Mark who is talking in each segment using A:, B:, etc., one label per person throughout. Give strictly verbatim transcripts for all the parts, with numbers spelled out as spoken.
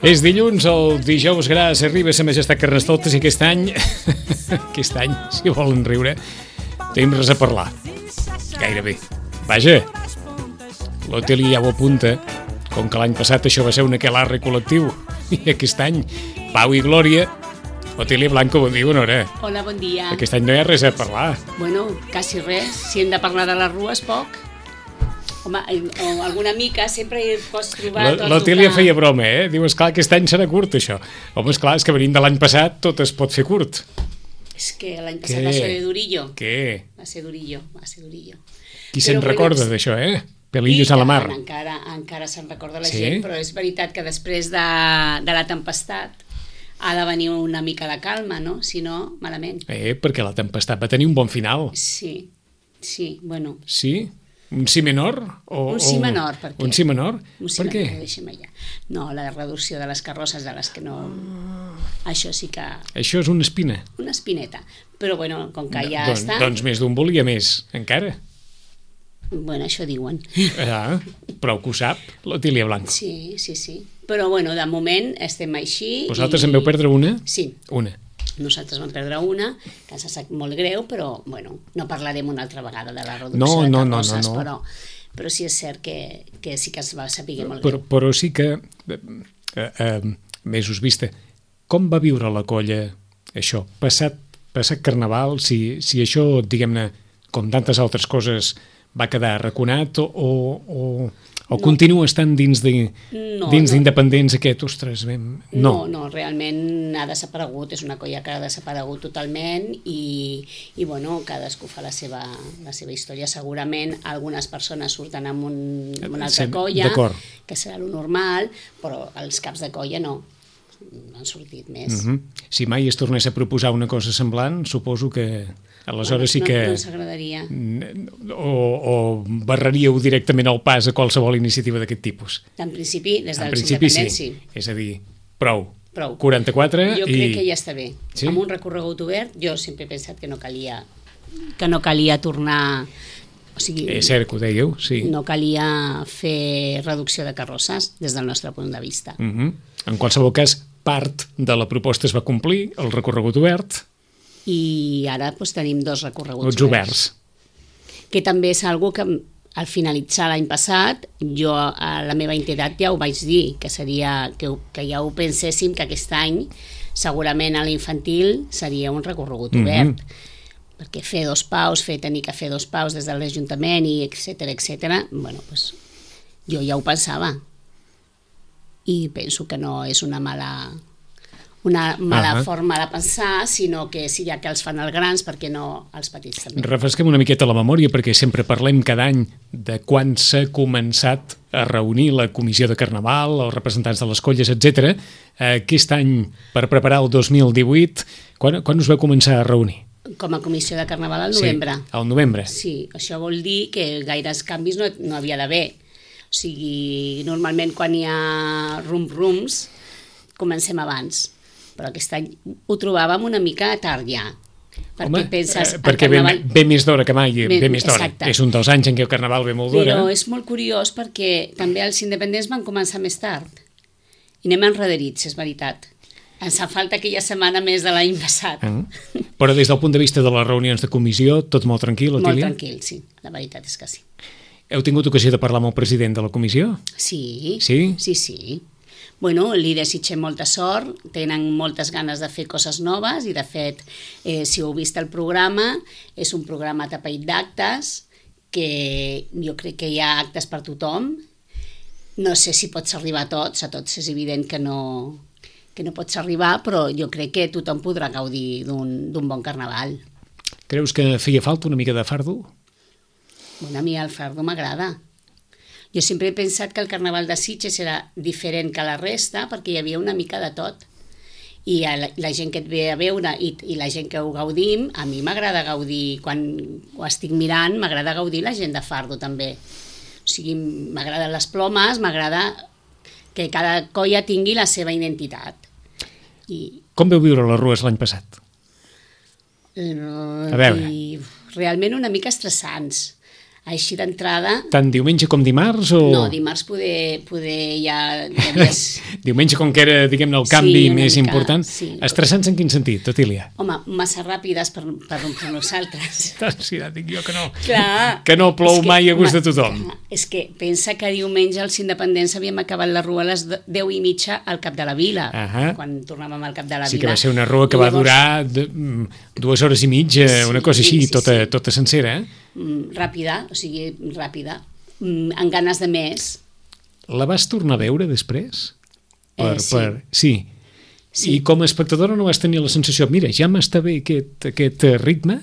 A: És dilluns, el dijous gras arriba a sa majestat Carnestoltes i aquest any, aquest any, si volen riure, tenim res a parlar. Gairebé. Vaja, l'Oteli ja ho apunta, com que l'any passat això va ser un aquelarre col·lectiu, i aquest any, pau i glòria. Otili Blanco, bon dia, bona hora.
B: Hola, bon dia.
A: Aquest any no hi ha res a parlar.
B: Bueno, quasi res. Si hem de parlar de les rues, poc. Home, o alguna mica, sempre hi pots trobar...
A: L'Otili ja feia broma, eh? Diu, esclar, aquest any serà curt, això. Home, esclar, és que venint de l'any passat tot es pot fer curt.
B: És que l'any passat va ser durillo.
A: Què?
B: Va ser durillo, va ser durillo.
A: Qui se'n recorda d'això, eh? Pelillos a la mar.
B: Encara, encara se'n recorda la
A: sí?
B: gent, però és veritat que després de, de la tempestat ha de venir una mica de calma, no? Si no, malament.
A: Eh, perquè la tempestat va tenir un bon final.
B: Sí, sí, bueno.
A: Sí? Un si menor? O,
B: un si menor, per què?
A: Un si menor?
B: Un si
A: per
B: menor,
A: què?
B: deixem allà. No, la reducció de les carrosses de les que no... Això sí que...
A: Això és una espina.
B: Una espineta. Però, bueno, com que ja
A: doncs,
B: està...
A: Doncs més d'un volia més, encara.
B: Bueno, això diuen.
A: Ah, prou que ho sap, l'Otília Blanco.
B: Sí, sí, sí. Però, bueno, de moment estem així...
A: Vosaltres
B: i...
A: en veu perdre una?
B: Sí.
A: Una.
B: Nosaltres vam perdre una, que ens sap molt greu, però, bueno, no parlarem una altra vegada de la reducció
A: no,
B: de
A: no,
B: carrosses,
A: no, no, no.
B: però, però sí és cert que, que sí que es va saber molt
A: però,
B: greu.
A: Però sí que, eh, eh, mesos vista, com va viure la colla això? Passat, passat Carnaval, si, si això, diguem-ne, com tantes altres coses, va quedar arraconat o... o O no. Continua estant dins de,
B: no,
A: dins
B: no.
A: d'independents aquest, ostres, ben...
B: No. no, no, realment ha desaparegut, és una colla que ha desaparegut totalment i, i bueno, cadascú fa la seva, la seva història. Segurament algunes persones surten amb, un, amb una altra
A: sí,
B: colla, que serà lo normal, però els caps de colla no, han sortit més.
A: Uh-huh. Si mai es tornés a proposar una cosa semblant, suposo que... Aleshores sí
B: no,
A: que...
B: No ens agradaria.
A: O, o barreríeu directament el pas a qualsevol iniciativa d'aquest tipus.
B: En principi, des dels
A: principi,
B: independents,
A: sí.
B: sí.
A: És a dir, prou.
B: Prou.
A: quaranta-quatre
B: jo
A: i...
B: crec que ja està bé.
A: Sí?
B: Amb un recorregut obert, jo sempre he pensat que no calia, que no calia tornar... O sigui,
A: és cert que ho dèieu, sí.
B: No calia fer reducció de carrosses des del nostre punt de vista.
A: Uh-huh. En qualsevol cas, part de la proposta es va complir, el recorregut obert...
B: I ara doncs, tenim dos recorreguts
A: oberts. oberts.
B: Que també és algo que al finalitzar l'any passat jo a la meva entitat ja ho vaig dir, que seria que, que ja ho penséssim que aquest any segurament a l'infantil seria un recorregut mm-hmm. obert, perquè fer dos paus, fer tenir que fer dos paus des de l'Ajuntament i etcètera, etcètera, bueno, doncs, jo ja ho pensava i penso que no és una mala... una mala uh-huh. forma de pensar, sinó que si ja que els fan els grans, perquè no els petits també.
A: Refresquem una miqueta la memòria, perquè sempre parlem cada any de quan s'ha començat a reunir la comissió de Carnaval, els representants de les colles, etcètera. Aquest any, per preparar el dos mil divuit, quan, quan us va començar a reunir?
B: Com a comissió de Carnaval al novembre.
A: Sí, al novembre.
B: Sí, això vol dir que gaires canvis no, no havia d'haver. O sigui, normalment quan hi ha rum-rums, comencem abans. Però aquest any ho trobàvem una mica tard ja. Perquè
A: Home,
B: penses...
A: eh, perquè carnaval... ve, ve més d'hora que mai, ve, ve més d'hora.
B: Exacte.
A: És un dels anys en què el Carnaval ve molt d'hora.
B: Però és molt curiós perquè també els independents van començar més tard. I anem enrederits, és veritat. Ens fa falta aquella setmana més de l'any passat.
A: Mm. Però des del punt de vista de les reunions de comissió, tot molt tranquil, Otília?
B: Molt tranquil, sí. La veritat és que sí.
A: Heu tingut ocasió de parlar amb el president de la comissió?
B: Sí.
A: Sí?
B: Sí, sí. Bueno, li desitgem molta sort, tenen moltes ganes de fer coses noves i de fet, eh, si heu vist el programa, és un programa tapeït d'actes, que jo crec que hi ha actes per tothom. No sé si pots arribar a tots, a tots és evident que no, que no pots arribar, però jo crec que tothom podrà gaudir d'un bon carnaval.
A: Creus que feia falta una mica de fardo?
B: Bueno, a mi el fardo m'agrada. Jo sempre he pensat que el Carnaval de Sitges era diferent que la resta perquè hi havia una mica de tot. I la, la gent que et ve a veure i, i la gent que ho gaudim, a mi m'agrada gaudir, quan ho estic mirant, m'agrada gaudir la gent de fardo també. O sigui, m'agraden les plomes, m'agrada que cada colla tingui la seva identitat. I...
A: Com veu viure les rues l'any passat?
B: A veure. I realment una mica estressants. així d'entrada...
A: Tant diumenge com dimarts? O...
B: No, dimarts poder, poder ja... Devies...
A: Diumenge, com que era, diguem-ne, el canvi
B: sí,
A: més
B: mica,
A: important.
B: Sí.
A: Estressants en quin sentit, Otília?
B: Home, massa ràpides per, per, per nosaltres.
A: Sí, ja dic jo que no.
B: Clar,
A: que no plou
B: que,
A: mai a gust
B: home,
A: de tothom.
B: Clar, és que pensa que diumenge els independents havíem acabat la rua a les deu i mitja al Cap de la Vila,
A: uh-huh.
B: quan tornàvem al Cap de la
A: sí
B: Vila.
A: Sí que va ser una rua que
B: I
A: va
B: llavors...
A: durar de, dues hores i mitja, sí, una cosa així, sí, sí, tota, sí. tota sencera. Eh?
B: Mm, ràpida, o sigui, ràpida, mm, amb ganes de més.
A: La vas tornar a veure després? Per,
B: Eh, sí.
A: Per... Sí. sí. I com a espectadora no vas tenir la sensació, mira, ja m'està bé aquest, aquest ritme?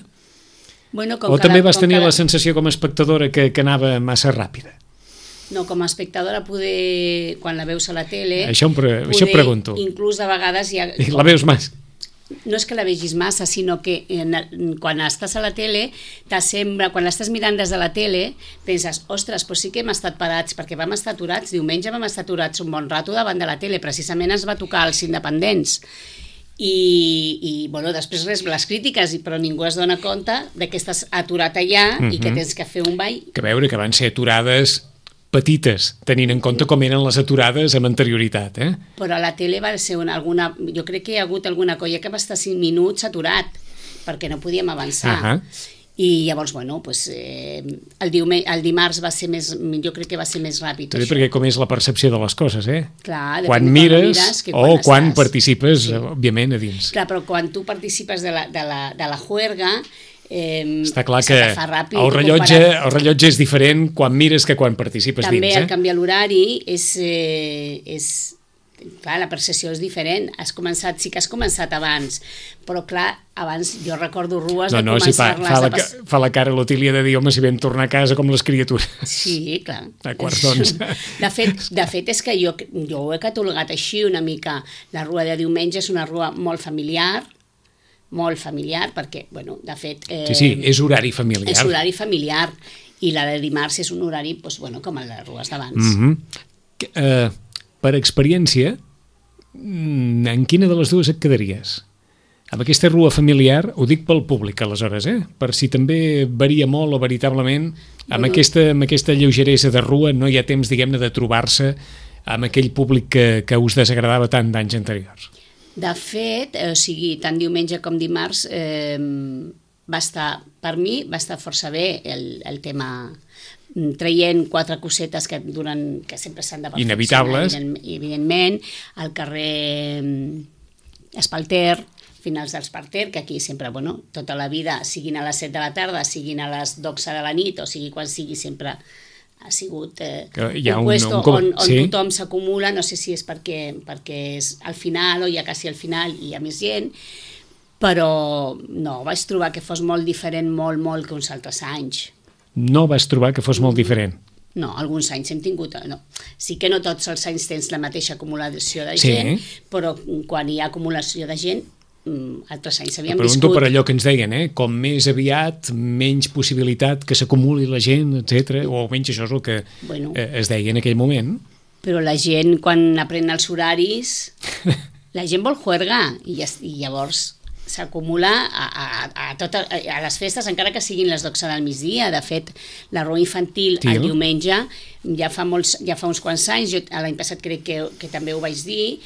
B: Bueno, com
A: o també
B: la,
A: vas tenir
B: la...
A: la sensació com a espectadora que, que anava massa ràpida?
B: No, com a espectadora poder, quan la veus a la tele...
A: Això, em pre... això pregunto.
B: Inclús de vegades... Ja...
A: La veus més?
B: No és que la vegis massa, sinó que en, quan estàs a la tele, t'assembla, quan l'estàs mirant des de la tele, penses, ostres, però sí que hem estat parats, perquè vam estar aturats, diumenge vam estar aturats un bon rato davant de la tele, precisament ens va tocar els independents. I, i bueno, després res, les crítiques, però ningú es dona compte de que estàs aturat allà mm-hmm. i que tens que fer un ball.
A: Que veure que van ser aturades petites, tenint en compte com eren les aturades amb anterioritat, eh?
B: Però a la tele va ser una, alguna... Jo crec que hi ha hagut alguna colla que va estar cinc minuts aturat, perquè no podíem avançar. Uh-huh. I llavors, bueno, pues, eh, el, diume, el dimarts va ser més... Jo crec que va ser més ràpid.
A: També perquè com és la percepció de les coses, eh?
B: Clar,
A: quan mires
B: mires que
A: quan o
B: quan
A: quan
B: estàs...
A: participes, sí. òbviament, a dins.
B: Clar, però quan tu participes de la, de la, de la juerga... Eh,
A: està clar que
B: ràpid,
A: el, rellotge, el rellotge és diferent quan mires que quan participes
B: també
A: dins.
B: També
A: eh?
B: el canviar l'horari és, eh, és... Clar, la percepció és diferent. Has començat, sí que has començat abans, però clar, abans jo recordo rues
A: no,
B: de
A: no,
B: començar-les...
A: Si fa, fa, la, pas... fa la cara l'Otília de dir, home, si vam tornar a casa com les criatures.
B: Sí, clar.
A: A quarts d'onze.
B: De fet, de fet, és que jo, jo ho he catalogat així una mica. La rua de diumenge és una rua molt familiar, molt familiar, perquè, bueno, de fet... Eh,
A: sí, sí, és horari familiar.
B: És horari familiar, i la de dimarts és un horari, doncs, bueno, com el de les rues d'abans.
A: Mm-hmm. Uh, per experiència, en quina de les dues et quedaries? Amb aquesta rua familiar, ho dic pel públic, aleshores, eh? Per si també varia molt o veritablement, amb, bueno, aquesta, amb aquesta lleugeresa de rua no hi ha temps, diguem-ne, de trobar-se amb aquell públic que, que us desagradava tant d'anys anteriors.
B: De fet, eh, o sigui, tant diumenge com dimarts, eh, va estar, per mi, va estar força bé el, el tema, traient quatre cosetes que, duren, que sempre s'han de perfeccionar.
A: Inevitables.
B: Evident, evidentment, al carrer Espalter, finals d'Espalter, que aquí sempre, bueno, tota la vida, siguin a les set de la tarda, siguin a les dotze de la nit, o sigui, quan sigui, sempre ha sigut eh, un puesto un, on, on sí. tothom s'acumula, no sé si és perquè, perquè és al final o ja quasi al final i hi ha més gent, però no, vaig trobar que fos molt diferent, molt, molt que uns altres anys.
A: No vas trobar que fos molt diferent?
B: No, alguns anys hem tingut... No. Sí que no tots els anys tens la mateixa acumulació de gent, sí. Però quan hi ha acumulació de gent, altres anys havíem viscut...
A: Pregunto per allò que ens deien, eh? Com més aviat, menys possibilitat que s'acumuli la gent, etcètera. O almenys això és el que bueno, es deia en aquell moment.
B: Però la gent, quan aprèn els horaris, la gent vol juerga, i, i llavors s'acumula a, a, a, tot, a les festes, encara que siguin les dotze del migdia. De fet, la rua infantil Til. el diumenge ja fa, molts, ja fa uns quants anys, jo l'any passat crec que, que també ho vaig dir,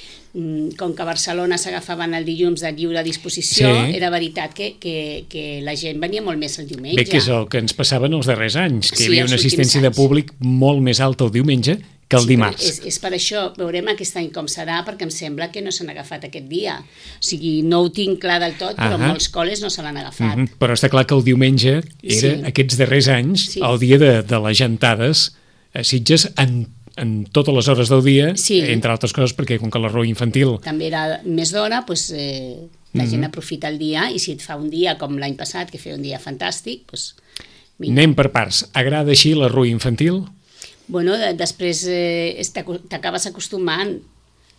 B: com que a Barcelona s'agafaven el dilluns de lliure disposició, sí. Era veritat que, que, que la gent venia molt més el diumenge.
A: Bé, que és el que ens passava en els darrers anys, que
B: sí,
A: hi havia una assistència de públic molt més alta el diumenge que el sí, dimarts.
B: És, és per això, veurem aquest any com serà, perquè em sembla que no s'han agafat aquest dia. O sigui, no ho tinc clar del tot, però uh-huh. molts col·les no se l'han agafat. Uh-huh.
A: Però està clar que el diumenge era, sí. aquests darrers anys, sí. el dia de, de les jantades a Sitges en en totes les hores del dia, sí. entre altres coses, perquè com que la rua infantil...
B: També era més d'hora, doncs, eh, la mm-hmm. gent aprofita el dia, i si et fa un dia com l'any passat, que feia un dia fantàstic, doncs... Mira.
A: Anem per parts. Agrada així la rua infantil?
B: Bueno, de, després eh, t'acabes acostumant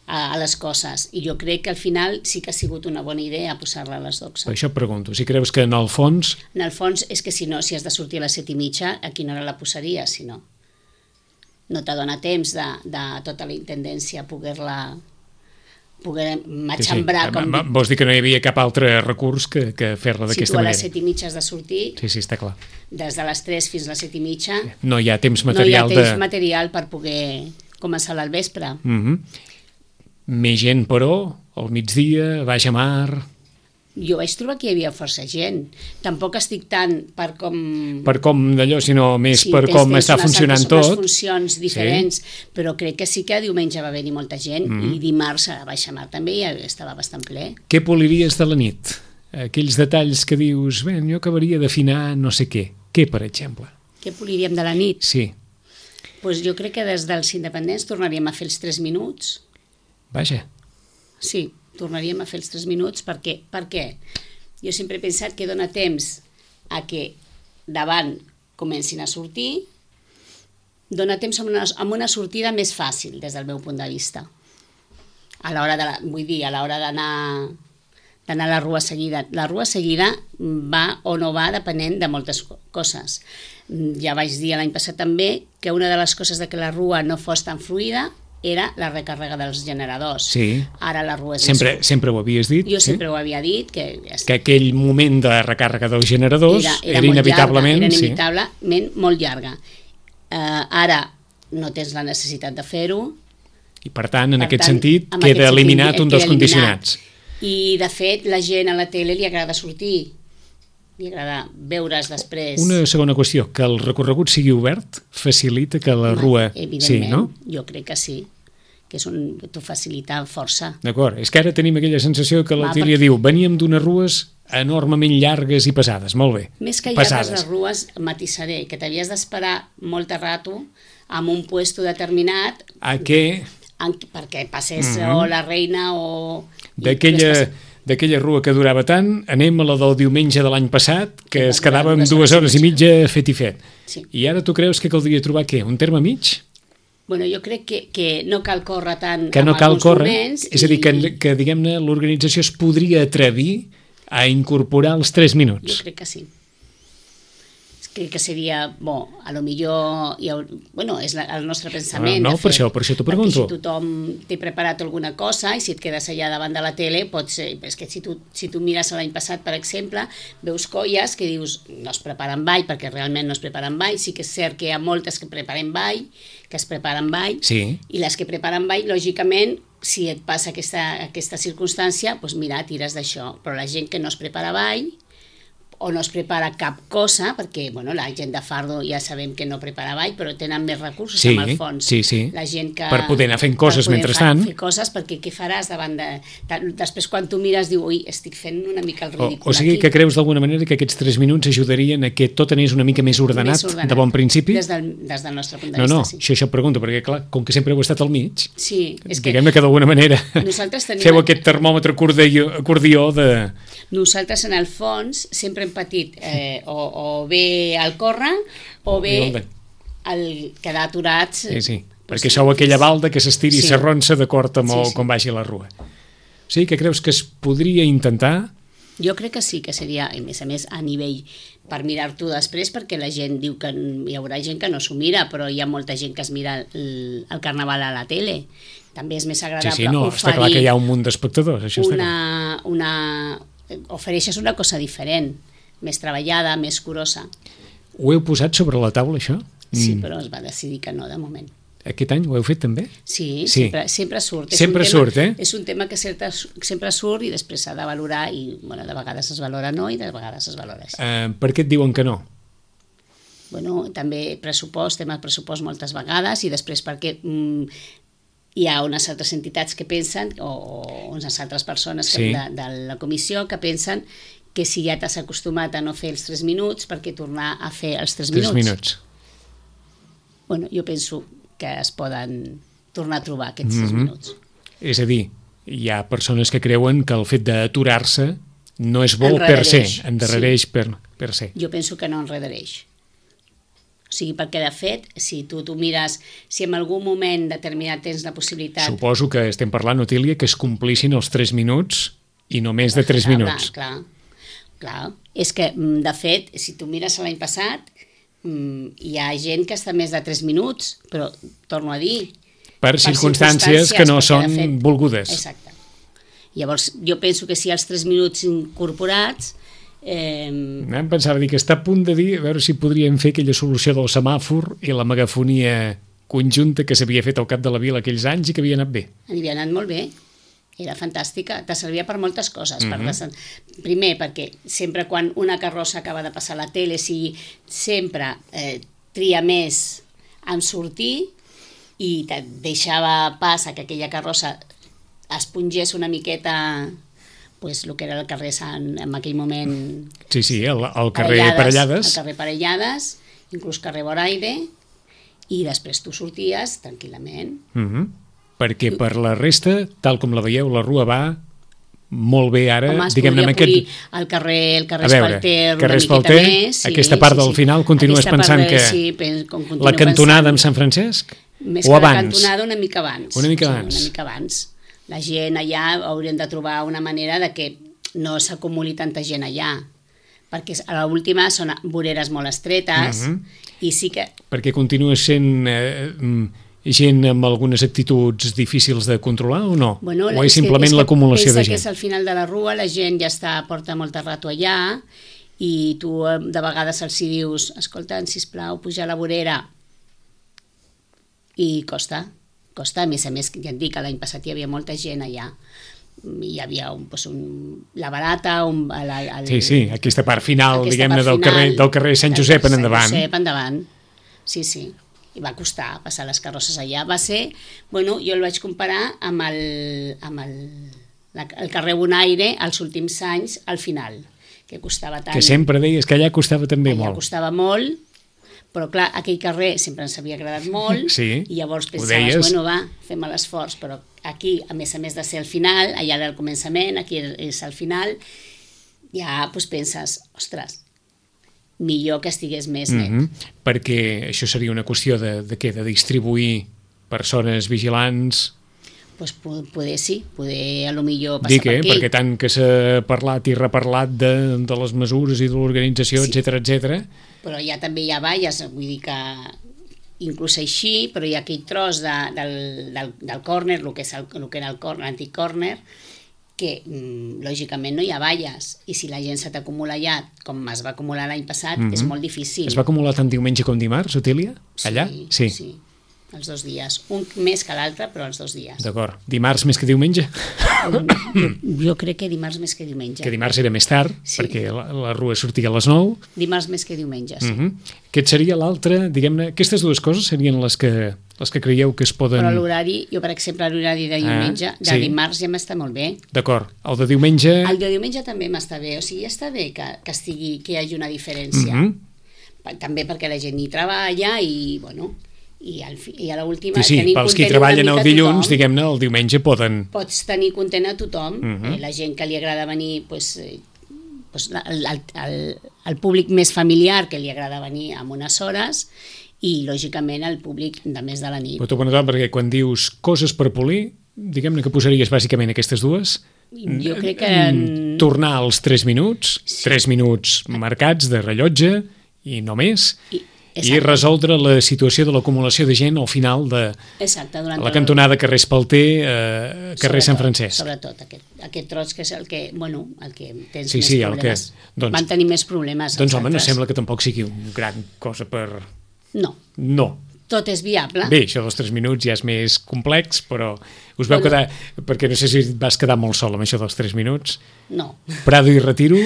B: a, a les coses, i jo crec que al final sí que ha sigut una bona idea posar-la a les dotze.
A: Per això pregunto, si creus que en el fons...
B: En el fons és que si no, si has de sortir a les set i mitja, a quina hora la posaries, si no? No t'adona temps de, de tota la intendència poder-la poder matxembrar.
A: Sí, sí.
B: Com...
A: Vols dir que no hi havia cap altre recurs que, que fer-la d'aquesta manera?
B: Si tu a les set i mitja has de sortir,
A: sí, sí, està clar.
B: Des de les tres fins a les set i mitja,
A: no hi ha temps material,
B: no hi ha temps
A: de...
B: material per poder començar al vespre.
A: Mm-hmm. Més gent, però, al migdia, baix a mar...
B: Jo vaig trobar que hi havia força gent. Tampoc estic tant per com...
A: Per com d'allò, sinó més
B: sí,
A: per
B: tens,
A: com
B: tens
A: està
B: unes
A: funcionant
B: altres,
A: tot.
B: Unes funcions diferents, sí. Però crec que sí que diumenge va haver-hi molta gent mm. i dimarts a Baixamar també ja estava bastant ple.
A: Què poliries de la nit? Aquells detalls que dius, bé, jo acabaria d'afinar no sé què. Què, per exemple?
B: Què poliríem de la nit?
A: Sí.
B: Pues jo crec que des dels independents tornaríem a fer els tres minuts.
A: Vaja.
B: Sí, tornaríem a fer els tres minuts perquè, per què? Jo sempre he pensat que dona temps a que davant comencin a sortir, dona temps amb una, amb una sortida més fàcil des del meu punt de vista. A l'hora de la, vull dir, a l'hora d'anar d'anar a la rua seguida. La rua seguida va o no va depenent de moltes coses. Ja vaig dir l'any passat també que una de les coses de que la rua no fos tan fluida era la recàrrega dels generadors.
A: Sí.
B: Ara la rua és
A: sempre, sempre ho havies dit.
B: Jo
A: sí?
B: sempre ho havia dit. Que,
A: que aquell moment de recàrrega dels generadors era, era, era inevitablement...
B: Llarga, era inevitablement sí. molt llarga. Uh, ara no tens la necessitat de fer-ho.
A: I per tant, en
B: per
A: aquest
B: tant,
A: sentit, queda
B: aquest
A: eliminat
B: sentit,
A: un dels
B: eliminat.
A: condicionats.
B: I, de fet, la gent a la tele li agrada sortir. Li agrada veure's després.
A: Una segona qüestió, que el recorregut sigui obert facilita que la
B: Home,
A: rua...
B: Evidentment,
A: sí, no?
B: Jo crec que sí, que és un, t'ho facilita força.
A: D'acord, és que ara tenim aquella sensació que la Tília
B: perquè...
A: diu, veníem d'unes rues enormement llargues i pesades, molt bé.
B: Més que llargues les rues, matissaré, que t'havies d'esperar molt rato en un puesto determinat...
A: A què?
B: En, perquè passés mm-hmm. o la reina o...
A: D'aquella... d'aquella rua que durava tant, anem a la del diumenge de l'any passat, que es quedava amb dues hores i mitja fet i fet.
B: Sí.
A: I ara tu creus que caldria trobar què? Un terme mig?
B: Bueno, jo crec que, que no cal córrer tant
A: que no
B: en
A: cal
B: alguns
A: córrer,
B: moments.
A: És a dir, que, que diguem-ne, l'organització es podria atrevir a incorporar els tres minuts.
B: Jo crec que sí. Crec que seria, bo, a lo millor, hi ha, bueno, és la, el nostre pensament.
A: No, no per, això, per això t'ho pregunto.
B: Si tothom té preparat alguna cosa i si et quedes allà davant de la tele, pot ser, és que si tu, si tu mires l'any passat, per exemple, veus colles que dius, no es preparen ball, perquè realment no es preparen ball, sí que és cert que hi ha moltes que preparen ball, que es preparen ball,
A: sí.
B: I les que preparen ball, lògicament, si et passa aquesta, aquesta circumstància, doncs mira, tires d'això, però la gent que no es prepara ball, o no es prepara cap cosa, perquè bueno, la gent de fardo ja sabem que no prepara ball, però tenen més recursos
A: sí,
B: amb el fons.
A: Sí, sí,
B: la gent que,
A: per poder anar fent coses mentrestant.
B: Fer coses, perquè què faràs davant de... Després quan tu mires diu, ui, estic fent una mica el ridícul
A: o, o sigui
B: aquí.
A: Que creus d'alguna manera que aquests tres minuts ajudarien a que tot anés una mica més ordenat, més ordenat de bon principi?
B: Des del, des del nostre punt de
A: no,
B: vista,
A: no,
B: sí.
A: Això, això et pregunto, perquè clar, com que sempre heu estat al mig,
B: sí, és que...
A: diguem-ne que d'alguna manera
B: tenim...
A: feu aquest termòmetre acordió, acordió de...
B: Nosaltres, en el fons, sempre hem patit eh, o, o bé el córrer o bé el quedar aturats.
A: Sí, sí, perquè sou aquella balda que s'estiri i sí. s'arronsa d'acord amb sí, sí. com vagi la rua. O sigui que creus que es podria intentar?
B: Jo crec que sí, que seria, a més a més, a nivell per mirar-t'ho després, perquè la gent diu que hi haurà gent que no s'ho mira, però hi ha molta gent que es mira el, el carnaval a la tele. També és més agradable
A: sí, sí, no,
B: oferir
A: està clar que hi ha un munt d'espectadors, això
B: una,
A: està
B: una, ofereixes una cosa diferent, més treballada, més curosa.
A: Ho heu posat sobre la taula, això?
B: Sí,
A: mm.
B: però es va decidir que no, de moment.
A: Aquest any ho heu fet també?
B: Sí,
A: sí.
B: Sempre, sempre surt.
A: Sempre
B: és
A: surt,
B: tema,
A: eh?
B: És un tema que certa, sempre surt i després s'ha de valorar i, bueno, de vegades es valora no i de vegades es valora sí.
A: Uh, per què et diuen que no?
B: Bueno, també pressupost, tema de pressupost moltes vegades i després perquè mm, hi ha unes altres entitats que pensen, o, o unes altres persones que, sí. de, de la comissió que pensen que si ja t'has acostumat a no fer els tres minuts, per què tornar a fer els tres minuts?
A: Tres minuts.
B: Bueno, jo penso que es poden tornar a trobar aquests mm-hmm. tres minuts.
A: És a dir, hi ha persones que creuen que el fet d'aturar-se no és bo per se, endarrereix sí. per, per se.
B: Jo penso que no enredareix. O sigui, perquè de fet, si tu tu mires, si en algun moment determinat tens la possibilitat...
A: Suposo que estem parlant, Otília, que es complissin els tres minuts i no més de tres minuts.
B: Clar, clar. És que, de fet, si tu mires l'any passat, hi ha gent que està més de tres minuts, però torno a dir...
A: Per, per circumstàncies, circumstàncies que no són fet, volgudes.
B: Exacte. Llavors, jo penso que si els tres minuts incorporats... Eh...
A: Em pensava dir que està a punt de dir a veure si podríem fer aquella solució del semàfor i la megafonia conjunta que s'havia fet al cap de la vila aquells anys i que havia anat bé.
B: Havia anat molt bé. Era fantàstica, te servia per moltes coses.
A: Mm-hmm.
B: per des... Primer, perquè sempre quan una carrossa acaba de passar a la tele, si sempre eh, tria més en sortir i te deixava pas a que aquella carrossa espongés una miqueta pues, el que era el carrer Sant en aquell moment.
A: Sí, sí, el, el carrer Parellades.
B: El carrer Parellades, inclús carrer Boraide, i després tu sorties tranquil·lament.
A: Mm-hmm. Perquè per la resta, tal com la veieu, la rua va molt bé ara.
B: Home, es
A: diguem-ne,
B: podria
A: aquest...
B: polir el carrer, el carrer
A: a veure,
B: Espalter una
A: carrer
B: miqueta
A: Espalter,
B: més. Sí,
A: aquesta part
B: sí,
A: del
B: sí.
A: final, continues
B: Aquesta
A: pensant
B: part de,
A: que
B: sí, pen, com
A: la cantonada
B: pensant,
A: amb Sant Francesc?
B: més
A: o
B: que
A: abans?
B: la cantonada una mica abans.
A: Una mica
B: sí,
A: abans.
B: Una mica abans. La gent allà haurien de trobar una manera de que no s'acumuli tanta gent allà, perquè a l'última són voreres molt estretes,
A: Mm-hmm.
B: i sí que...
A: Perquè continua sent eh, gent amb algunes actituds difícils de controlar o no?
B: Bueno,
A: o és simplement
B: és
A: l'acumulació de
B: pensa
A: gent?
B: que és al final de la rua, la gent ja està, porta molt rato allà, i tu de vegades els hi dius, escolta, sisplau, puja a la vorera, i costa, costa, a més a més, ja et dic que l'any passat hi havia molta gent allà, hi havia un, pues un, la barata, un, el, el,
A: sí, sí, aquesta part final,
B: aquesta
A: diguem-ne,
B: part
A: del,
B: final,
A: carrer, del carrer Sant Josep en endavant.
B: Sant Josep endavant, sí, sí. I va costar passar les carrosses allà. Va ser, bueno, jo el vaig comparar amb el, amb el, la, el carrer Bonaire als últims anys, al final, que costava tant.
A: Que sempre deies que allà costava també
B: allà
A: molt.
B: costava molt, però clar, aquell carrer sempre ens havia agradat molt,
A: sí,
B: i llavors
A: ho
B: pensaves,
A: deies.
B: bueno, va, fem l'esforç, però aquí, a més a més de ser el final, allà era el començament, aquí és el final, ja doncs penses, ostres, millor que estigués més net.
A: Mm-hmm. Perquè això seria una qüestió de, de què? De distribuir persones vigilants...
B: Pues poder sí, poder a lo millor passar
A: Dic, eh?
B: per aquí.
A: Perquè tant que s'ha parlat i reparlat de, de les mesures i de l'organització,
B: Sí.
A: etcètera, etcètera.
B: Però ja també hi ha valles, vull dir que inclús així, però hi ha aquell tros de, del, del, del córner, el que, és el, el que era el córner, l'antic córner, que mm, lògicament no hi ha valles, i si la gent se t'acumula allà, com es va acumular l'any passat,
A: Mm-hmm.
B: és molt difícil.
A: Es va acumular tant diumenge com dimarts, Otília? Allà?
B: Sí, sí, els dos dies. Un més que l'altre, però els dos dies.
A: D'acord. Dimarts més que diumenge?
B: Jo, jo crec que dimarts més que diumenge.
A: Que dimarts era més tard,
B: Sí.
A: perquè la, la rua sortia a les nou.
B: Dimarts més que diumenge, sí.
A: Mm-hmm. Aquest seria l'altre, diguem-ne, aquestes dues coses serien les que, les que creieu que es poden...
B: Però l'horari, jo per exemple l'horari de diumenge,
A: Ah,
B: de
A: sí.
B: dimarts ja m'està molt bé.
A: D'acord. El de diumenge...
B: El de diumenge també m'està bé, o sigui, està bé que, que, estigui, que hi hagi una diferència.
A: Mm-hmm.
B: També perquè la gent hi treballa i, bueno, i, al, fi- i a l'última...
A: Sí, sí,
B: tenir
A: pels qui
B: content
A: treballen
B: una
A: el
B: mica
A: dilluns,
B: tothom.
A: diguem-ne, el diumenge poden...
B: Pots tenir content a tothom,
A: Mhm.
B: eh, la gent que li agrada venir, pues, eh, pues, el, el, el, el públic més familiar que li agrada venir amb unes hores i, lògicament, el públic de més de la nit.
A: Però t'ho pregunto perquè quan dius coses per polir, diguem-ne que posaries bàsicament aquestes dues.
B: Jo crec que...
A: Mm, Tornar als tres minuts,
B: Sí.
A: tres minuts marcats de rellotge i no més,
B: I,
A: i
B: exacte,
A: resoldre la situació de l'acumulació de gent al final de
B: exacte, durant
A: la
B: el-
A: cantonada carrer Espalter, eh, carrer Sant
B: Sobretot,
A: Francesc.
B: Sobretot, aquest, aquest tros que és el que, bueno, el que tens
A: Sí,
B: més
A: sí, el que-
B: problemes.
A: doncs-
B: Van tenir més problemes.
A: Doncs
B: els
A: home, no
B: altres.
A: sembla que tampoc sigui un gran cosa per...
B: No,
A: No.
B: tot és viable.
A: Bé, això dels tres minuts ja és més complex, però us veu
B: Bueno.
A: quedar... Perquè no sé si et vas quedar molt sol amb això dels tres minuts.
B: No,
A: Prado i Retiro,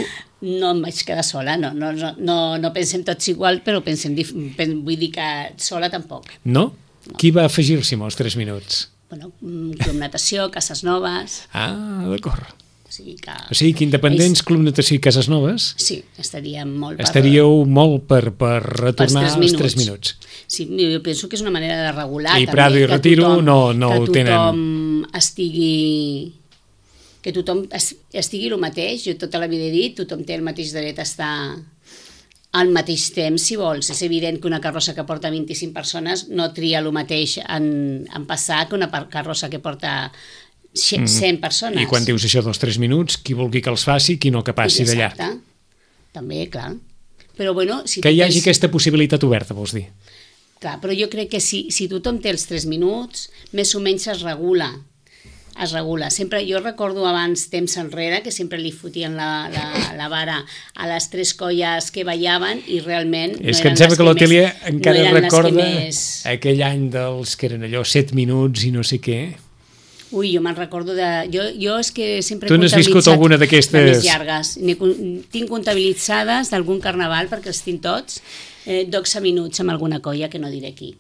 B: no em vaig quedar sola, no, no, no, no, no pensem tots igual, però pensem, dif- pen, vull dir que sola tampoc.
A: no? Qui va afegir-s'hi amb els tres minuts?
B: Bueno, mm, Club Natació, Cases Noves,
A: Ah, d'acord.
B: o sigui que...
A: O sigui que Independents,
B: Ells-
A: Club Natació i Cases Noves
B: Sí, estaríem molt... per-
A: estaríeu molt per, per retornar
B: pels
A: als tres minuts.
B: Sí, jo penso que és una manera de regular
A: I
B: també,
A: Prado i
B: que
A: Retiro
B: tothom-
A: no- no
B: que
A: ho tenen.
B: tothom estigui que tothom es- estigui el mateix. Jo tota la vida he dit, tothom té el mateix dret a estar al mateix temps, si vols. És evident que una carrossa que porta vint-i-cinc persones no tria el mateix en, en passar que una par- carrossa que porta cent persones.
A: I quan dius això dels tres minuts, qui vulgui que els faci, qui no que passi d'allà.
B: Exacte. També, clar. Però bueno, si
A: Que
B: tu
A: hi hagi
B: tens-
A: aquesta possibilitat oberta, vols dir?
B: Clar, però jo crec que si, si tothom té els tres minuts, més o menys es regula. es regula. Sempre, jo recordo abans, temps enrere, que sempre li fotien la, la, la vara a les tres colles que ballaven i realment no
A: és que
B: eren
A: em sembla
B: les
A: que l'Otèlia
B: més,
A: encara
B: no
A: recorda
B: més...
A: aquell any dels que eren allò set minuts i no sé què.
B: Ui, jo me'n recordo de... Jo, jo és que sempre
A: tu
B: he
A: n'has viscut alguna d'aquestes...
B: de més llargues. Tinc comptabilitzades d'algun carnaval, perquè els tinc tots, eh, dotze minuts amb alguna colla que no diré qui.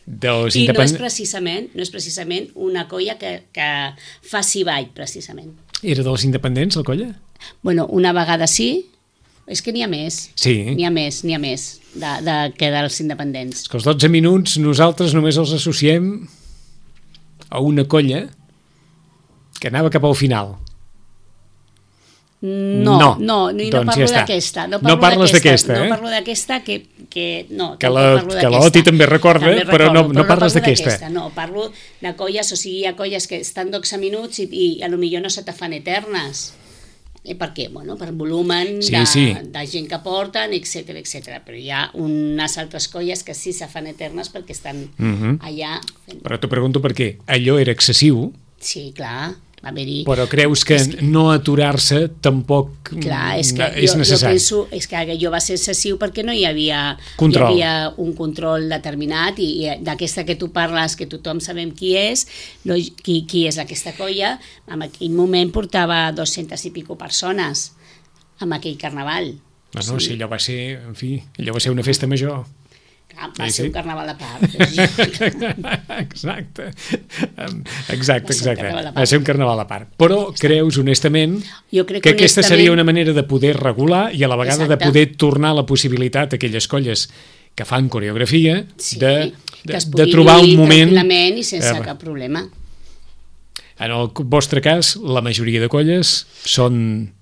A: Dels
B: I
A: independ...
B: no és precisament no és precisament una colla que, que faci ball, precisament.
A: Era dels independents, la colla?
B: Bueno, una vegada sí, és que n'hi ha més.
A: Sí.
B: N'hi ha més, n'hi ha més de, de, que dels independents.
A: És que els dotze minuts nosaltres només els associem a una colla que anava cap al final.
B: No, no, no, no,
A: doncs
B: no parlo
A: ja
B: d'aquesta. No,
A: no parles d'aquesta, eh?
B: No parlo d'aquesta que... que no,
A: que la, que l'Oti també recorda,
B: també recordo,
A: però no, no
B: però
A: parles
B: no
A: d'aquesta.
B: No, parlo de colles, o sigui, hi ha colles que estan dotze minuts i, i a lo millor no se te fan eternes. I per què? Bueno, per volumen
A: sí,
B: de,
A: sí.
B: de gent que porten, etcètera, etcètera. Però hi ha unes altres colles que sí se fan eternes perquè estan
A: uh-huh.
B: allà... Fent...
A: Però t'ho pregunto per què. Allò era excessiu.
B: Sí, clar, va haver-hi...
A: Però creus que, que no aturar-se tampoc
B: clar, és, que
A: és
B: jo,
A: necessari?
B: Jo penso és que allò va ser excessiu perquè no hi havia,
A: control.
B: Hi havia un control determinat i, i d'aquesta que tu parles, que tothom sabem qui és, no, qui, qui és aquesta colla, en aquell moment portava dues-centes i pico persones amb aquell carnaval.
A: No, no, sí. Si allò va ser, en fi, allò va ser una festa major.
B: Ah, va
A: sí,
B: ser
A: sí.
B: un carnaval a part. Exacte.
A: Exacte, exacte. Va, va ser un carnaval a part. Però creus, honestament,
B: jo crec
A: que aquesta
B: honestament...
A: seria una manera de poder regular i a la vegada
B: exacte.
A: De poder tornar la possibilitat a aquelles colles que fan coreografia
B: sí,
A: de, de,
B: de
A: trobar un moment...
B: tranquil·lament i sense
A: eh,
B: cap problema.
A: En el vostre cas, la majoria de colles són...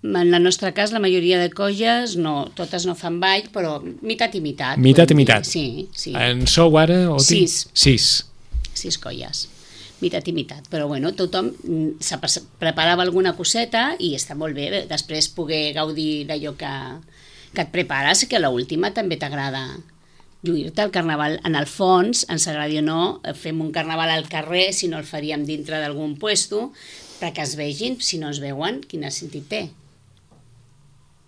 B: En el nostre cas, la majoria de colles, no, totes no fan ball, però mitat i mitat.
A: Mitat i mitat.
B: Sí, sí.
A: En sou ara? Oti?
B: Sis.
A: Sis.
B: Sis colles. Mitat i mitat. Però bueno, tothom se preparava alguna coseta i està molt bé. Després poder gaudir d'allò que, que et prepares, que a l'última també t'agrada lluir-te al carnaval. En el fons, ens agradi o no, fem un carnaval al carrer, si no el faríem dintre d'algun puesto, perquè es vegin, si no es veuen, quin sentit té?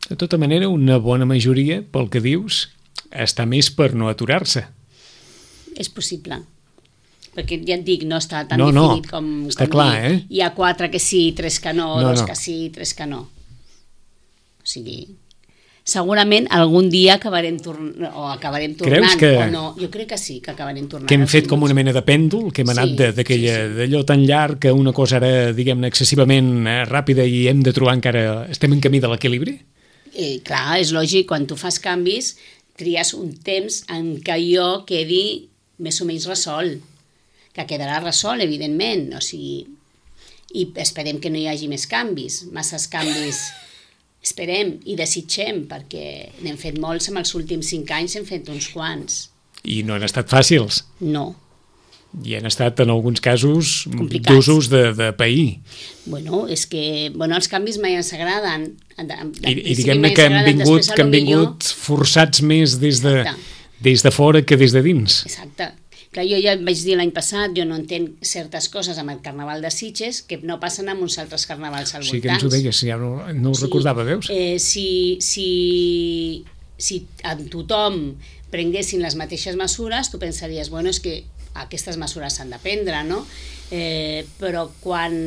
A: De tota manera, una bona majoria, pel que dius, està més per no aturar-se.
B: És possible. Perquè ja et dic, no està tan
A: no,
B: definit
A: no.
B: com...
A: Està
B: com
A: clar,
B: dir,
A: eh?
B: Hi ha quatre que sí, tres que no,
A: no
B: dos
A: no.
B: que sí, tres que no. O sigui... Segurament algun dia acabarem tornant, o acabarem tornant,
A: que...
B: o no. Jo crec que sí, que acabarem tornant.
A: Que hem fet com una mena de pèndol, que hem anat
B: sí,
A: d'aquella
B: sí, sí.
A: d'allò tan llarg que una cosa era, diguem-ne, excessivament eh, ràpida i hem de trobar encara... Estem en camí de l'equilibri?
B: Eh, clar, és lògic, quan tu fas canvis, tries un temps en què jo quedi més o menys resol, que quedarà resol, evidentment, o sigui, i esperem que no hi hagi més canvis, masses canvis... Esperem i desitgem, perquè n'hem fet molts en els últims cinc anys, hem fet uns quants.
A: I no han estat fàcils.
B: No.
A: I han estat, en alguns casos,
B: complicats.
A: d'usos de, de pair.
B: Bueno, és que bueno, els canvis mai ens agraden.
A: I, i diguem-ne que han vingut, que han vingut millor... forçats més des de, des de fora que des de dins.
B: Exacte. Clar, jo ja vaig dir l'any passat, jo no entenc certes coses amb el Carnaval de Sitges que no passen amb uns altres carnavals al voltant.
A: Sí que ens ho deies, ja no, no ho sí, recordava, veus?
B: Eh, si, si, si en tothom prenguessin les mateixes mesures, tu pensaries, bueno, és que aquestes mesures s'han de prendre, no? Eh, però quan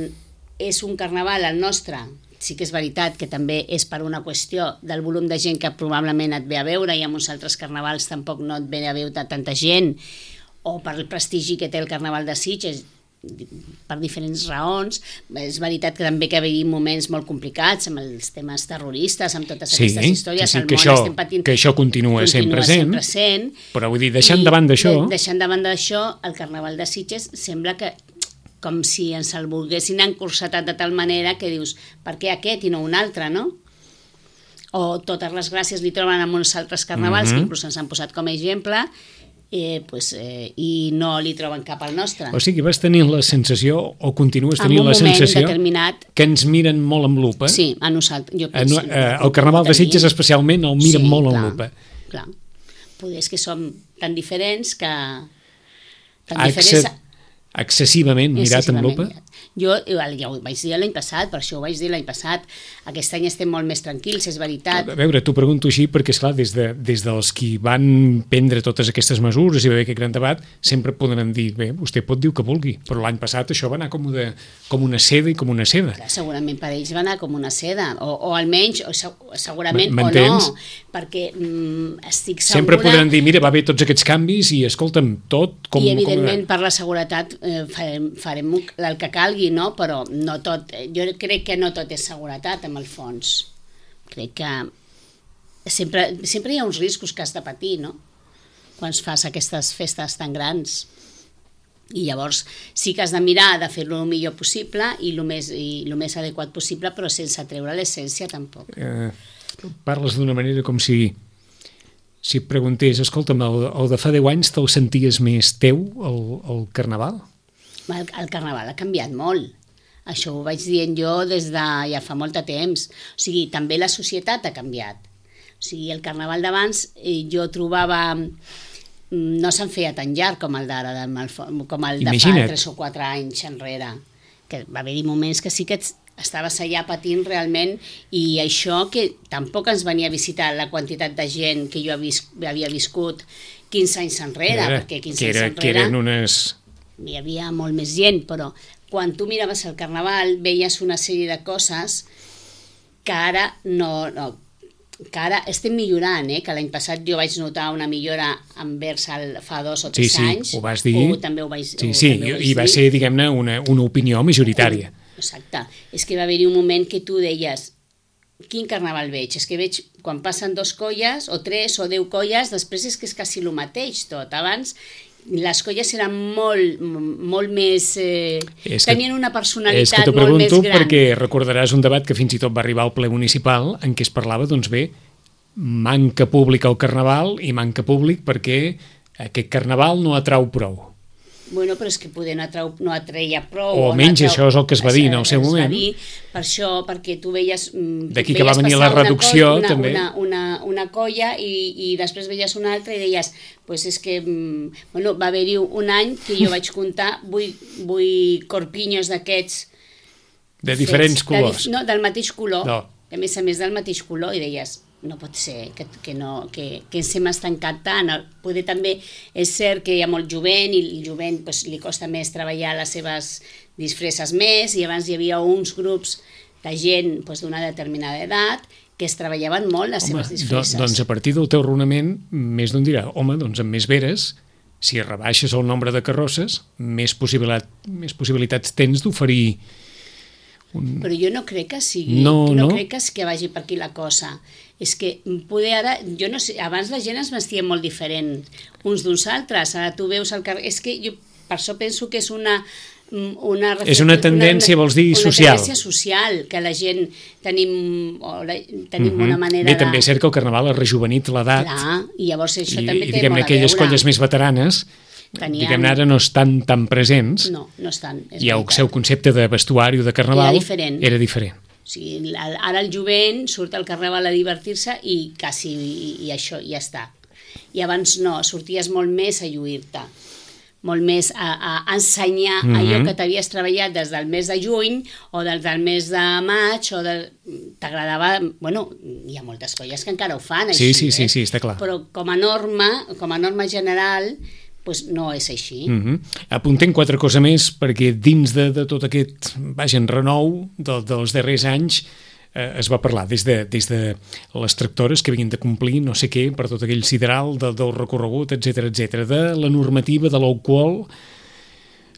B: és un carnaval el nostre, sí que és veritat que també és per una qüestió del volum de gent que probablement et ve a veure i amb uns altres carnavals tampoc no et ve a veure tanta gent, o per el prestigi que té el Carnaval de Sitges, per diferents raons. És veritat que també que hi havia moments molt complicats amb els temes terroristes, amb totes
A: sí,
B: aquestes històries,
A: sí, sí,
B: el
A: que
B: món
A: això,
B: estem patint,
A: que això continua, continua sent present,
B: sempre sent,
A: però vull dir, deixant davant d'això...
B: De, deixant davant d'això, el Carnaval de Sitges sembla que com si ens el volguessin encursetat de tal manera que dius, per què aquest i no un altre, no? O totes les gràcies li troben amb uns altres carnavals, mm-hmm. que inclús ens han posat com a exemple, Eh, pues, eh, i no li troben cap al nostre.
A: O sigui, vas tenir la sensació, o continues tenint la
B: sensació,
A: determinat... que ens miren molt amb lupa.
B: Sí, a nosaltres. Jo penso,
A: a, a, el Carnaval de Sitges especialment el miren sí, molt clar, amb lupa.
B: Clar, poder és que som tan diferents que... Tan
A: Accep...
B: diferents...
A: excessivament mirat amb lupa?
B: Jo ja ho vaig dir l'any passat, per això ho vaig dir l'any passat. Aquest any estem molt més tranquils, és veritat.
A: A veure, t'ho pregunto així perquè, esclar, des, de, des dels qui van prendre totes aquestes mesures i va haver aquest gran debat, sempre podran dir, bé, vostè pot dir el que vulgui, però l'any passat això va anar com una, com una seda i com una seda.
B: Clar, segurament per ells va anar com una seda, o, o almenys, o segurament o no, perquè mm, estic segura...
A: Sempre podran dir, mira, va haver tots aquests canvis i escolta'm, tot com...
B: I evidentment com... per la seguretat eh, farem, farem el que calgui, no? Però no tot, jo crec que no tot és seguretat en el fons. Crec que sempre, sempre hi ha uns riscos que has de patir, no? Quan fas aquestes festes tan grans. I llavors sí que has de mirar de fer-lo el millor possible i el més, i el més adequat possible, però sense treure l'essència tampoc.
A: Eh, parles d'una manera com si si et preguntés, escolta'm, el, el de fa deu anys te'l senties més teu, el, el Carnaval?
B: El, el Carnaval ha canviat molt. Això ho vaig dient jo des de ja fa molt de temps. O sigui, també la societat ha canviat. O sigui, el Carnaval d'abans eh, jo trobava... No se'n feia tan llarg com el d'ara, com el de
A: Imagina't.
B: fa tres o quatre anys enrere. Que va haver-hi moments que sí que estaves allà patint realment, i això que tampoc ens venia a visitar la quantitat de gent que jo havia viscut quinze anys enrere,
A: era,
B: perquè quinze
A: que era,
B: anys enrere...
A: Que eren unes...
B: hi havia molt més gent, però quan tu miraves el Carnaval veies una sèrie de coses que ara no, no que ara estem millorant, eh? Que l'any passat jo vaig notar una millora envers el fa dos o tres
A: sí, sí,
B: anys.
A: ho vas dir.
B: O també ho vaig,
A: sí, sí,
B: també ho vaig
A: i va
B: dir.
A: ser, diguem-ne, una, una opinió majoritària.
B: Exacte. És que va haver-hi un moment que tu deies, quin Carnaval veig? És que veig quan passen dos colles, o tres, o deu colles, després és que és quasi el mateix tot. Abans les colles eren molt, molt més... Eh, que, tenien una personalitat molt més gran. És que t'ho pregunto
A: perquè recordaràs un debat que fins i tot va arribar al ple municipal en què es parlava, doncs bé, manca públic al Carnaval i manca públic perquè aquest Carnaval no atrau prou.
B: Bueno, però és que poder no, atrau, no atreia prou.
A: O almenys no atrau, això és el que es va dir en el seu moment. Es va dir
B: per això, perquè tu veies...
A: D'aquí que va venir la reducció,
B: una,
A: també.
B: Una, una, una colla i, i després veies una altra i deies, pues és que, bueno, va haver-hi un any que jo vaig comptar vuit, vuit corpinyos d'aquests...
A: De diferents fets, colors.
B: De, no, del mateix color.
A: No.
B: A més a més del mateix color, i deies... no pot ser que, que, no, que, que ens hem estancat tant. Poder també és cert que hi ha molt jovent i el jovent pues, li costa més treballar les seves disfresses més, i abans hi havia uns grups de gent pues, d'una determinada edat que es treballaven molt les home, seves disfresses.
A: Do, doncs a partir del teu raonament més d'un dirà, home, doncs amb més veres, si rebaixes el nombre de carrosses, més, possibilitat, més possibilitats tens d'oferir un...
B: Però jo no crec que sigui,
A: no,
B: no,
A: no
B: crec que, que vagi per aquí la cosa. És que poder ara, jo no sé, abans la gent es vestia molt diferent uns d'uns altres, ara tu veus el carrer, és que jo per això penso que és una... Una,
A: és una tendència, una, vols dir,
B: una
A: social.
B: Una tendència social, que la gent tenim, o la, tenim uh-huh. una manera
A: Bé,
B: de...
A: també és cert que el Carnaval ha rejuvenit l'edat.
B: Clar, i llavors això
A: i,
B: també
A: i,
B: té molt a veure.
A: Aquelles colles més veteranes, tenien... diguem-ne, ara no estan tan presents.
B: No, no estan.
A: I el seu concepte de vestuari o de Carnaval
B: era diferent.
A: Era diferent.
B: O sigui, ara el jovent surt al Carnaval a divertir-se i quasi i, i això ja està. I abans no, sorties molt més a lluir-te, molt més a, a ensenyar mm-hmm. allò que t'havies treballat des del mes de juny o des del mes de maig, o de... t'agradava... Bueno, hi ha moltes colles que encara ho fan
A: sí,
B: així,
A: sí, sí,
B: eh?
A: sí, està clar.
B: Però com a norma, com a norma general, pues no és així.
A: Mm-hmm. Apuntem quatre coses més, perquè dins de, de tot aquest, vaja, renou de, dels darrers anys eh, es va parlar des de, des de les tractores que havien de complir no sé què per tot aquell sideral de, del recorregut, etcètera, etcètera, de la normativa de l'alcohol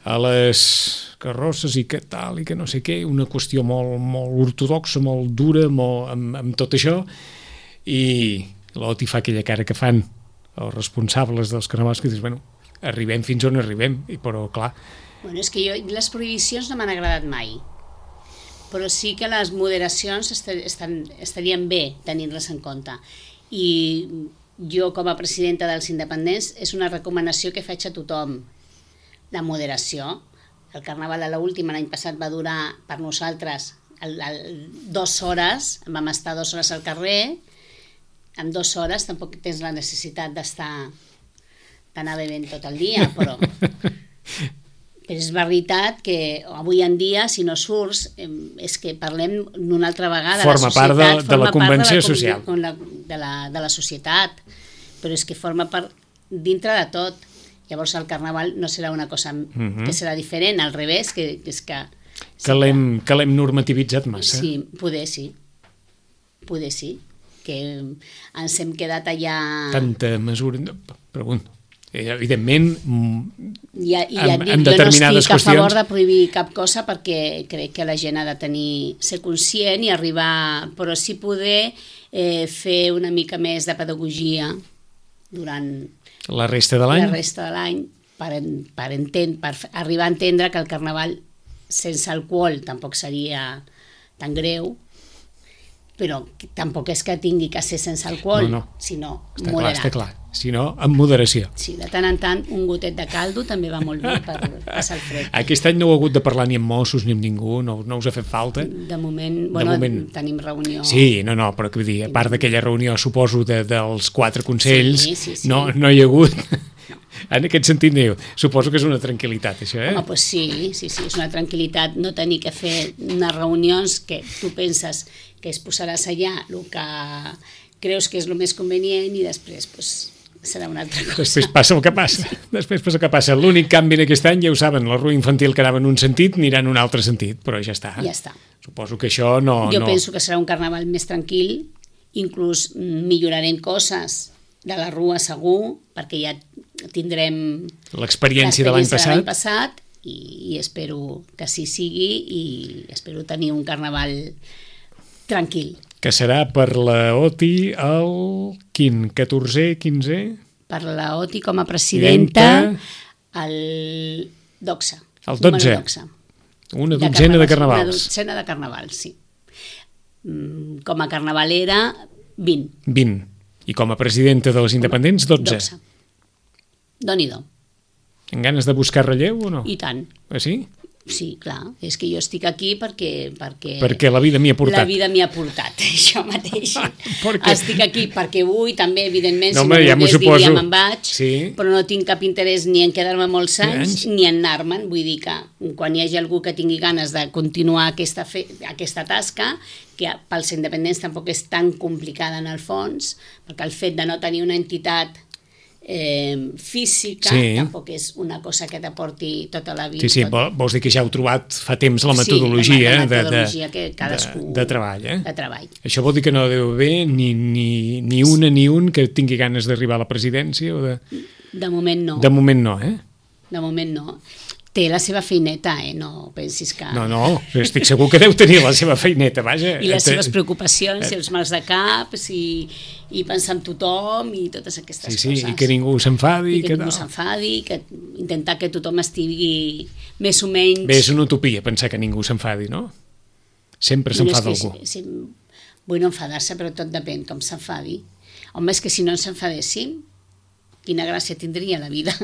A: a les carrosses i que tal i que no sé què, una qüestió molt, molt ortodoxa, molt dura, molt, amb, amb tot això, i l'Oti fa aquella cara que fan els responsables dels carnavals que dius, bueno, arribem fins on arribem, i però clar...
B: Bueno, és que jo, les prohibicions no m'han agradat mai, però sí que les moderacions estan, estarien bé tenir-les en compte. I jo, com a presidenta dels independents, és una recomanació que faig a tothom, la moderació. El Carnaval a l'última, l'any passat, va durar per nosaltres el, el, dues hores, vam estar dues hores al carrer, en dues hores tampoc tens la necessitat d'estar d'anar bevent tot el dia, però Però és veritat que avui en dia, si no surts, és que parlem una altra vegada.
A: Forma
B: la societat,
A: part de, de la convenció
B: de la,
A: social.
B: De la, de la societat, però és que forma part dintre de tot. Llavors el carnaval no serà una cosa uh-huh. que serà diferent, al revés, que és que...
A: Que l'hem que l'hem normativitzat massa.
B: Sí, poder sí. Poder sí. Que ens hem quedat allà...
A: Tanta mesura... Pregunto. Evidentment,
B: I, i ja
A: amb,
B: dic,
A: amb
B: jo
A: determinades
B: no estic a
A: qüestions...
B: favor de prohibir cap cosa perquè crec que la gent ha de tenir, ser conscient i arribar, però sí poder eh, fer una mica més de pedagogia durant
A: la resta de l'any,
B: la resta de l'any per, per, entend, per arribar a entendre que el carnaval sense alcohol tampoc seria tan greu, però tampoc és que tingui que ser sense alcohol,
A: no, no.
B: sinó
A: està
B: moderat.
A: Clar, està clar. Sinó amb moderació.
B: Sí, de tant en tant un gotet de caldo també va molt bé per passar el fred.
A: Aquest any no heu hagut de parlar ni amb Mossos ni amb ningú, no, no us ha fet falta?
B: De moment, bueno, de moment... tenim reunió...
A: Sí, no, no, però que vull dir, a part d'aquella reunió, suposo, de, dels quatre consells,
B: sí, sí, sí.
A: No, no hi ha hagut... No. En aquest sentit, no, suposo que és una tranquil·litat, això, eh?
B: Home, doncs sí, sí, sí, és una tranquil·litat no tenir que fer unes reunions que tu penses que es posaràs allà el que creus que és el més convenient i després, doncs, serà una altra cosa.
A: Després passa el que passa. Sí. Després passa el que passa. L'únic canvi en aquest any, ja ho saben, la rua infantil que anava en un sentit anirà en un altre sentit, però ja està.
B: Ja està.
A: Suposo que això no...
B: Jo
A: no...
B: penso que serà un carnaval més tranquil, inclús millorarem coses de la rua segur, perquè ja tindrem
A: l'experiència de l'any passat,
B: passat i, i espero que així sigui i espero tenir un carnaval tranquil.
A: Que serà per la O T I el quin? catorzè, quinzè?
B: Per la O T I com a presidenta el dotze.
A: El dotze. Una dotzena de carnavals.
B: Una dotzena de carnavals, sí. Com a carnavalera, vint.
A: vint. I com a presidenta dels independents, dotze.
B: dotze. Doni-do.
A: En ganes de buscar relleu o no?
B: I tant.
A: Ah, sí?
B: Sí, clar. És que jo estic aquí perquè... Perquè,
A: perquè la vida m'hi ha portat.
B: La vida m'hi ha portat, això mateix.
A: perquè...
B: Estic aquí perquè vull, també, evidentment,
A: no,
B: si no
A: ja
B: volgués
A: suposo.
B: diria me'n vaig,
A: sí.
B: Però no tinc cap interès ni en quedar-me molts anys,
A: anys
B: ni en anar-me'n. Vull dir que quan hi hagi algú que tingui ganes de continuar aquesta, fe... aquesta tasca, que pels independents tampoc és tan complicada en el fons, perquè el fet de no tenir una entitat Eh, física, sí. Tampoc és una cosa que t'aporti tota la vida.
A: Sí, sí, tot... vols dir que ja heu trobat fa temps la metodologia,
B: sí, la metodologia
A: de,
B: que cadascú...
A: de, de treball, eh?
B: De treball.
A: Això vol dir que no deu haver ni, ni, ni una ni un que tingui ganes d'arribar a la presidència? O de...
B: de moment no.
A: De moment no, eh?
B: De moment no. Té la seva feineta, eh? No pensis que...
A: No, no, estic segur que deu tenir la seva feineta, vaja.
B: I les seves preocupacions, i els mals de cap, i, i pensar en tothom, i totes aquestes
A: sí, sí,
B: coses.
A: I que ningú s'enfadi.
B: I que, que ningú s'enfadi, que intentar que tothom estigui més o menys...
A: Bé, és una utopia pensar que ningú s'enfadi, no? Sempre s'enfada algú.
B: Si, si, vull no enfadar-se, però tot depèn com s'enfadi. Home, és que si no ens enfadéssim, quina gràcia tindria la vida?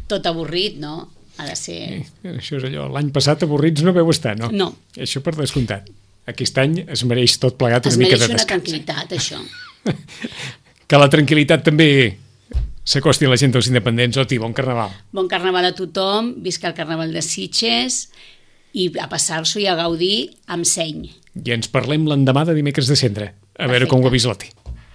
B: Tot avorrit, no? Ha de ser...
A: Sí, això és allò, l'any passat avorrits no veu estar, no?
B: No.
A: Això per descomptat. Aquest any es mereix tot plegat una mica de descans.
B: Es mereix una tranquil·litat, això.
A: Que la tranquil·litat també s'acosti a la gent dels independents. Oti, bon carnaval.
B: Bon carnaval a tothom, visca el carnaval de Sitges i a passar-s'ho i a gaudir amb seny.
A: I ens parlem l'endemà de dimecres de cendre. A veure
B: Perfecte.
A: com ho ha vist l'Oti.